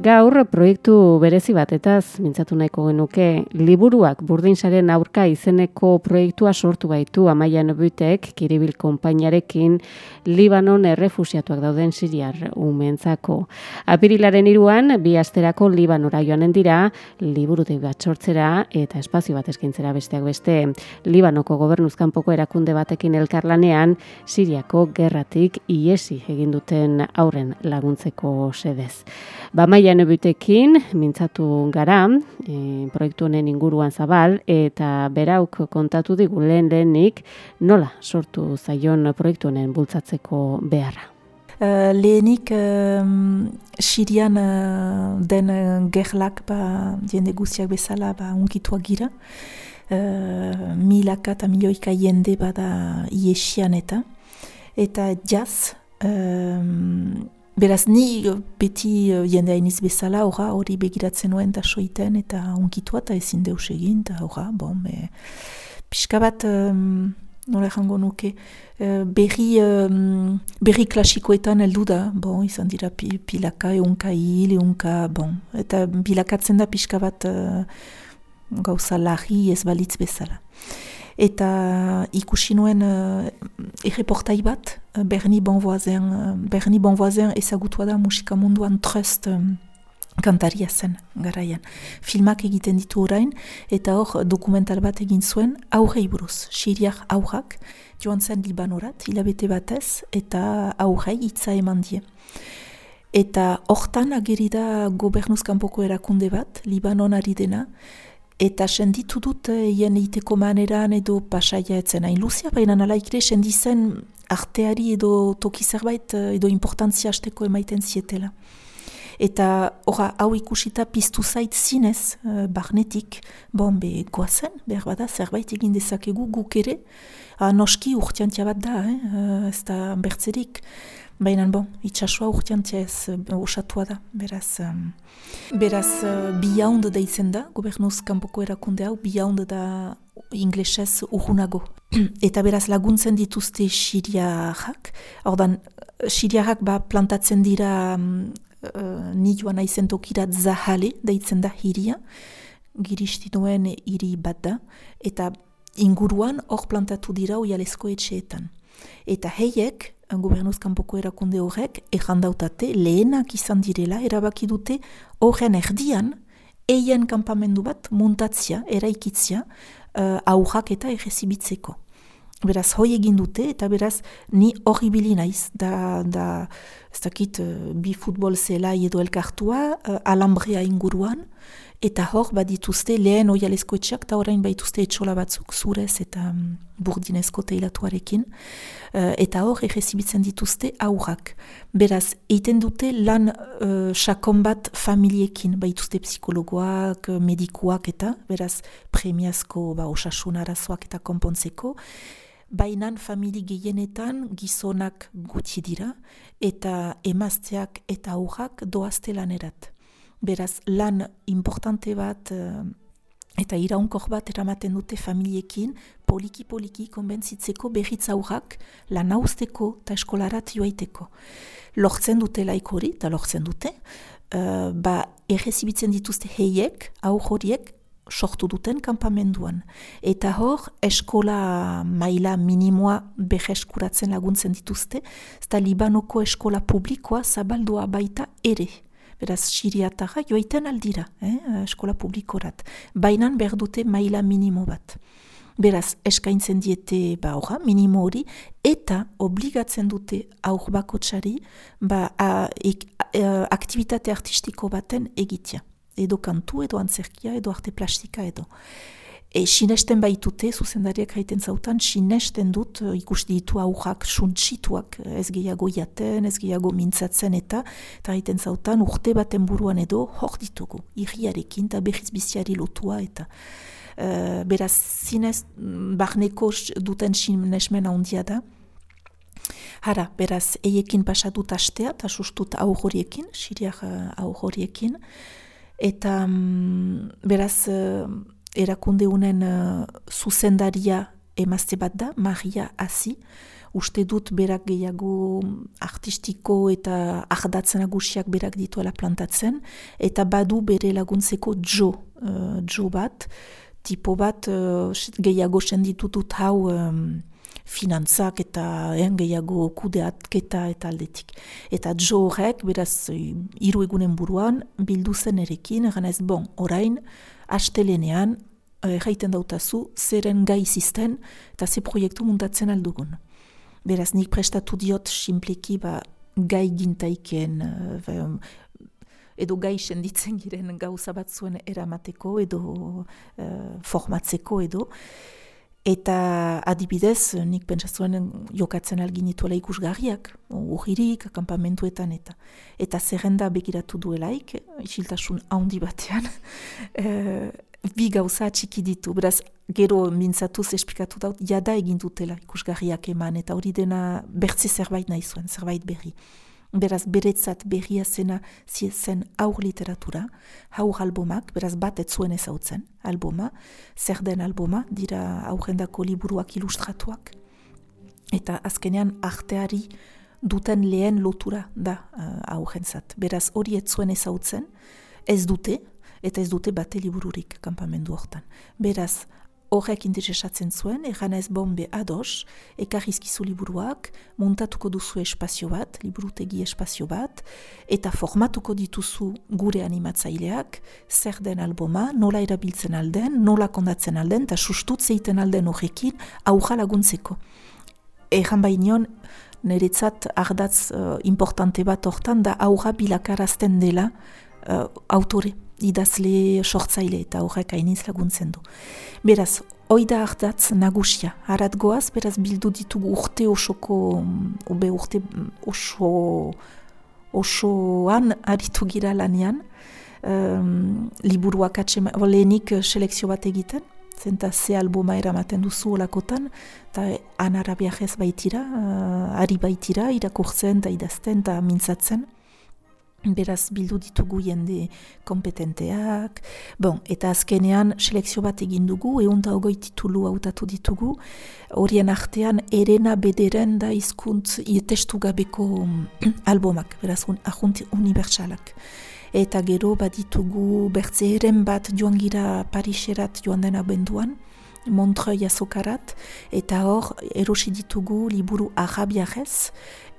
Gaur proiektu berezi batetaz mintzatu nahiko genuke, liburuak burdin-saren aurka izeneko proiektua sortu baitu Amaia Nebutek Kiribil konpainiarekin Libanon errefuxiatuak dauden siriar umeentzako. Apirilaren 3 bi asterako Libanora joanen dira, liburutegi bat sortzera eta espazio bat eskaintzera besteak beste. Libanoko gobernuz kanpoko erakunde batekin elkarlanean Siriako gerratik ihesi egin duten haurren laguntzeko sedez. Amaia Nebutekin mintzatu gara, proiektu honen inguruan zabal, eta berauk kontatu digu lehenik nola sortu zaion proiektu honen bultzatzeko beharra. Lehenik Sirian den gerlak jende guztiak bezala unkituak gira. Milaka eta milioika jende bada iesian eta jaz. Beraz, ni beti jende hainiz bezala, hori begiratzen nuen eta soiten eta unkitua eta ezin deus egin, eta pixka bat, nola jango nuke, berri klasikoetan heldu da, izan dira pilaka, eunka hil, eta bilakatzen da pixka bat gauza larri ez balitz bezala. Eta ikusi nuen erreportai bat, Berni Bonvoisin ezagutua da musika munduan Trust kantaria zen garaian. Filmak egiten ditu orain, eta hor dokumental bat egin zuen aurrei buruz. Siriar aurrak joan zen Libanorat, hilabete batez, eta aurrei hitza eman die. Eta hortan ageri da gobernuz kanpoko erakunde bat, Libanon ari dena, eta senditu dut hien egiteko maneran edo pasaia etzen hain luzia, baina nalaikre sendizen arteari edo toki zerbait edo importantzia hasteko emaiten zietela. Eta hau ikusita piztu zait zinez, barnetik, goazen, behar bada, zerbait egin dezakegu guk ere, noski urtiantia bat da, ez da bertzerik, baina itxasua urtiantia ez osatua da, beraz bihaund deitzen da, gobernuz kanpoko erakunde hau, bihaund da inglesez urrunago. Eta beraz laguntzen dituzte siriarrak, ordan siriarrak plantatzen dira ni joan naizen tokirat Zahale deitzen da hiria, giristi duen hiri bat da, eta inguruan hor plantatu dira oialezko etxeetan. Eta heiek, gobernuz kanpoko erakunde horrek, errandautate lehenak izan direla, erabaki dute horren erdian, eien kanpamendu bat muntatzia, eraikitzia, aurrak eta errezibitzeko. Beraz, hoi egin dute, eta beraz, ni hori bili naiz, ez dakit, bi futbol zelai edo elkartua, alambrea inguruan, eta hor badituzte lehen oialezko etxeak, eta orain baituzte etxola batzuk zurez eta burdinezko teilatuarekin, eta hor errezibitzen dituzte aurrak. Beraz, eiten dute lan sakon bat familiekin, baituzte psikologoak, medikuak eta, beraz, premiazko osasun arazoak eta konpontzeko, bainan famili gehienetan gizonak gutxi dira, eta emazteak eta aurrak doazte lanerat. Beraz, lan importante bat eta iraunkor bat eramaten dute familiekin, poliki konbentzitzeko berriz aurrak lan hauzteko eta eskolarat joaiteko. Lortzen dute laik hori, eta lortzen dute, errezibitzen dituzte heiek, aur horiek, sortu duten kanpamenduan. Eta hor, eskola maila minimoa berreskuratzen laguntzen dituzte, eta Libanoko eskola publikoa zabaldua baita ere. Beraz, siriatarra joaiten aldira, eskola publikorat. Bainan behar dute maila minimo bat. Beraz, eskaintzen diete minimo hori, eta obligatzen dute aur bakotsari aktivitate artistiko baten egitea. Edo kantu, edo antzerkia, edo arte plastika, edo. Sinesten baitute, zuzendariak haiten zautan, sinesten dut ikusti ditu aurrak suntsituak, ez gehiago jaten, ez gehiago mintzatzen eta haiten zautan urte baten buruan edo hor ditugu, irriarekin eta berriz biziari lotua eta beraz zinez barneko duten sinesmen handia da. Hara, beraz, eiekin pasatut astea eta sustut aur horiekin, siriak aur horiekin, eta beraz erakunde unen zuzendaria emazte bat da, Maria Asi, uste dut berak gehiago artistiko eta ardatz nagusiak berak dituela plantatzen, eta badu bere laguntzeko Joe bat, tipo bat gehiago senditutut hau finantzak eta gehiago kudeatketa eta aldetik. Eta Joe horrek, beraz, 3 egunen buruan, bildu zen erekin, egan ez, orain, astelenean, jaiten dautazu, zeren gai izisten, eta ze proiektu muntatzen aldugun. Beraz, nik prestatu diot simpliki gai gintaiken, edo gai senditzen giren gauza bat zuen eramateko, edo formatzeko, edo. Eta adibidez, nik pentsatzen jokatzen algin dituela ikusgarriak, urririk, akampamentuetan eta. Eta zerrenda begiratu duelaik, isiltasun handi batean, bi gauza txiki ditu. Beraz, gero mintzatuz esplikatu daut, jada egin dutela ikusgarriak eman, eta hori dena bertze zerbait nahi zuen, zerbait berri. Beraz, beretzat berria zena zen aur literatura, haur albomak, beraz bat ez zuen ezautzen alboma, zer den alboma, dira aurrendako liburuak ilustratuak, eta azkenean arteari duten lehen lotura da aurrentzat. Beraz, hori ez zuen ezautzen, ez dute bate libururik kanpamendu hortan. Beraz, horrek interesatzen zuen, egan ez bombe ados, ekarrizkizu liburuak, montatuko duzu espazio bat, liburutegi espazio bat, eta formatuko dituzu gure animatzaileak, zer den alboma, nola erabiltzen alden, nola kondatzen alden, eta sustut zeiten alden horrekin, aurra laguntzeko. Egan bainion, niretzat ardatz importante bat hortan, da aurra bilakarazten dela autore, idazle sortzaile eta horrek hainiz laguntzen du. Beraz, oida ardatz nagusia, harat goaz, beraz bildu ditugu urte osoan aritu gira lanean, liburuak lehenik selekzio bat egiten, zenta ze alboma eramaten duzu olakotan, eta anarabiajez baitira, ari baitira, irakurtzen eta idazten eta mintzatzen. Beraz, bildu ditugu jende kompetenteak. Eta azkenean, selekzio bat egin dugu, 120 titulu hautatu ditugu. Horien artean, Erena Bederen da hizkuntz testu gabeko albomak, beraz, ahunt unibertsalak. Eta gero, baditugu bertzeren bat joan gira Pariserat joan den abenduan, Montreuil azokarat, eta hor, erosi ditugu liburu arabiarez,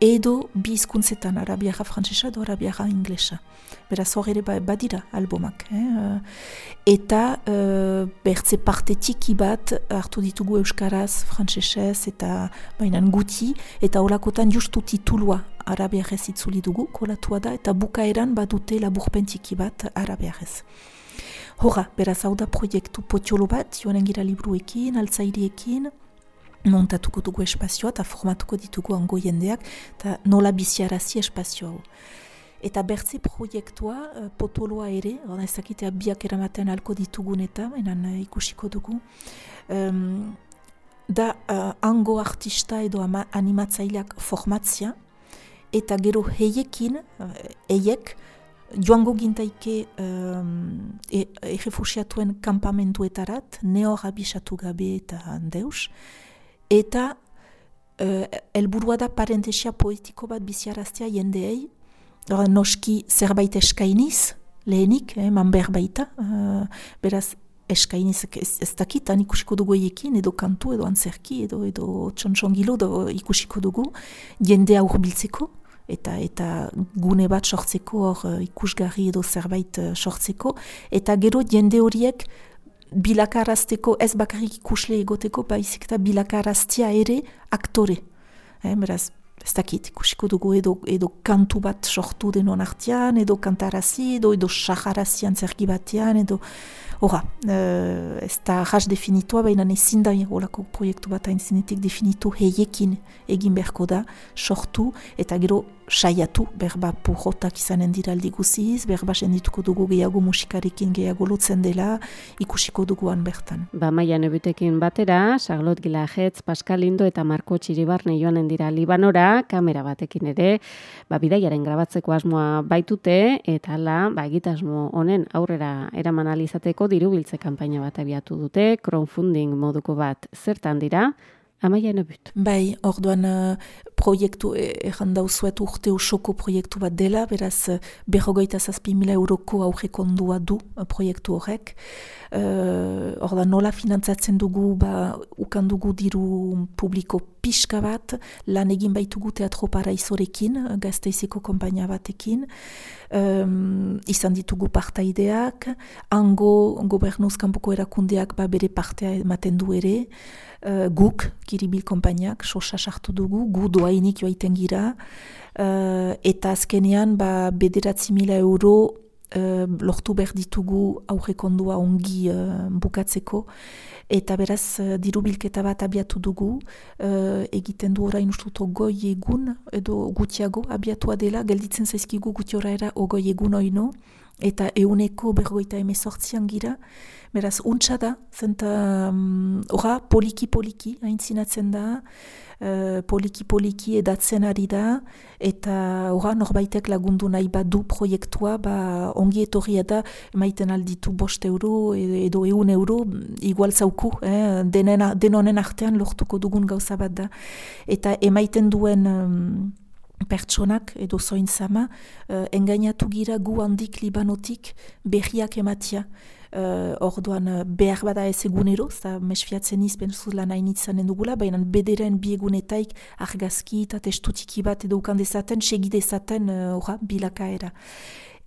edo bi hizkuntzetan, arabiara frantsesa edo arabiara inglesa. Beraz hor ere badira albomak. Eta bertze parte txiki bat hartu ditugu euskaraz, frantsesez eta bainan guti, eta holakotan justu titulua arabiarez itzuli dugu, kolatua da, eta bukaeran badute laburpen txiki bat arabiarez. Horra, beraz hau da proiektu potiolo bat, joanen gira libruekin, altzairiekin, montatuko dugu espazioa eta formatuko ditugu hango jendeak eta nola biziarazi espazio hau. Eta bertze proiektua, potoloa ere, ez dakitea biak eramaten alko ditugun eta, ikusiko dugu, da hango artista edo animatzaileak formatzia, eta gero heiekin, joango gintaike errefusiatuen kampamentuetarat, nehor abisatu gabe eta deus, eta helburua da parentesia poetiko bat biziaraztea jendeei, noski zerbait eskainiz, lehenik, eman behar baita, beraz eskainiz ez dakitan ikusiko dugu eiekin, edo kantu, edo antzerki, edo txontxongilo, edo ikusiko dugu, jendea urbiltzeko, eta gune bat sortzeko, ikusgarri edo zerbait sortzeko, eta gero jende horiek bilakarazteko, ez bakarrik ikusle egoteko, baizik eta bilakaraztia ere aktore. Beraz, ez dakit, ikusiko dugu edo kantu bat sortu denon artean, edo kantarazi, edo saharazi antzerki batean, edo horra, ez da jas definitua, baina ezin da olako proiektu bat haintzinetik definitu heiekin egin beharko da, sortu, eta gero saiatu, berba purrotak izanen dira aldi guziz, berba sendituko dugu gehiago musikarekin gehiago lotzen dela, ikusiko duguan bertan. Maia Nebutekin batera, Charlotte Gilajetz, Pascal Lindo eta Marko Txiribarne joanen dira Libanora, kamera batekin ere, bidaiaren grabatzeko asmoa baitute, eta egitasmo honen aurrera eraman alizateko dirubiltze kanpaina bat abiatu dute, crowdfunding moduko bat. Zertan dira? Amaia Enebut. Bai, orduan proiektu, erran dauzuet urte osoko proiektu bat dela, beraz 47.000 euroko aurrekondua du proiektu horrek. Orduan nola finantzatzen dugu, ukan dugu diru publiko pixka bat, lan egin baitugu Teatro Paraisorekin, Gasteizeko konpainia batekin, izan ditugu partaideak, hango gobernuz kanpoko erakundeak bere partea ematen du ere, guk, Kiribil konpainiak, sosa sartu dugu, gu doainik joaiten gira, eta azkenean 9.000 euro lortu behar ditugu aurrekondua ongi bukatzeko, eta beraz diru bilketa bat abiatu dugu, egiten du orain ustuto goi egun, edo gutiago abiatua dela, gelditzen zaizkigu gutioraera ogoi egun oino, eta 118 gira, beraz untsa da, zenta poliki-poliki aintzinatzen da, poliki-poliki edatzen ari da, eta norbaitek lagundu nahi badu proiektua, ongi etorria da, emaiten alditu 5 euro edo 1 euro, igual zauku, denonen artean lortuko dugun gauza bat da. Eta emaiten duen pertsonak edo zoin zama, engainatu gira gu handik Libanotik berriak ematia. Orduan behar bada ez egunero, mesfiatzen izbenzuz lan hainitzanen dugula, baina bederen biegunetaik argazki eta testutiki bat edo ukandezaten, segidezaten bilakaera.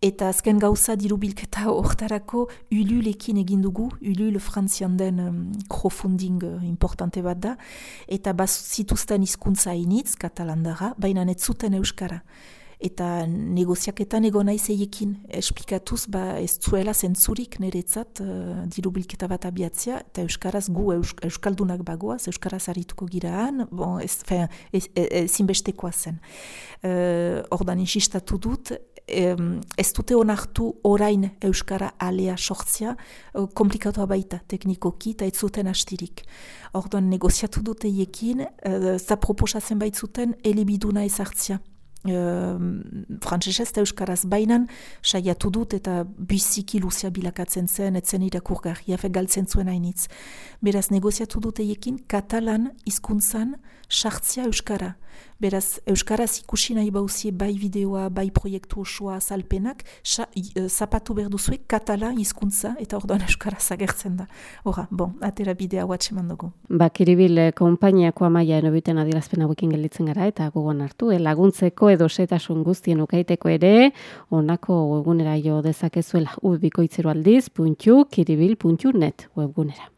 Eta azken gauza diru bilketa hortarako Ululekin egin dugu, Ulul frantzian den crowdfunding importante bat da, eta zituzten hizkuntza hainitz, katalandara, baina ez zuten euskara. Eta negoziaketan egon naiz eiekin esplikatuz ez zuela zentzurik niretzat diru bilketa bat abiatzea, eta euskaraz gu euskaldunak bagoaz, euskaraz harituko giraan, zinbestekoa zen. Ordan insistatu dut, ez dute onartu orain euskara alea sortzea, komplikatua baita teknikoki, eta ez zuten astirik. Ordan negoziatu dut eiekin, za proposatzen baitzuten elebiduna ezartzea. Frantsesez eta euskaraz bainan saiatu dut eta biziki luzea bilakatzen zen, etzen irakurgarria, galtzen zuen hainitz. Beraz, negoziatu dut eiekin katalan hizkuntzan sartzea euskara. Beraz, euskaraz ikusi nahi bauzie bai bideoa, bai proiektu osoa azalpenak, zapatu behar duzuek katalan hizkuntza eta orduan euskaraz agertzen da. Atera bidea watxeman dugu. Kiribil konpainiako Amaia Enebuten adierazpen hauekin gelditzen gara eta gogoan hartu, laguntzeko edo setasun guztien ukaiteko ere, honako webgunera jo dezakezuela ubikoitzeroaldiz.kiribil.net webgunera.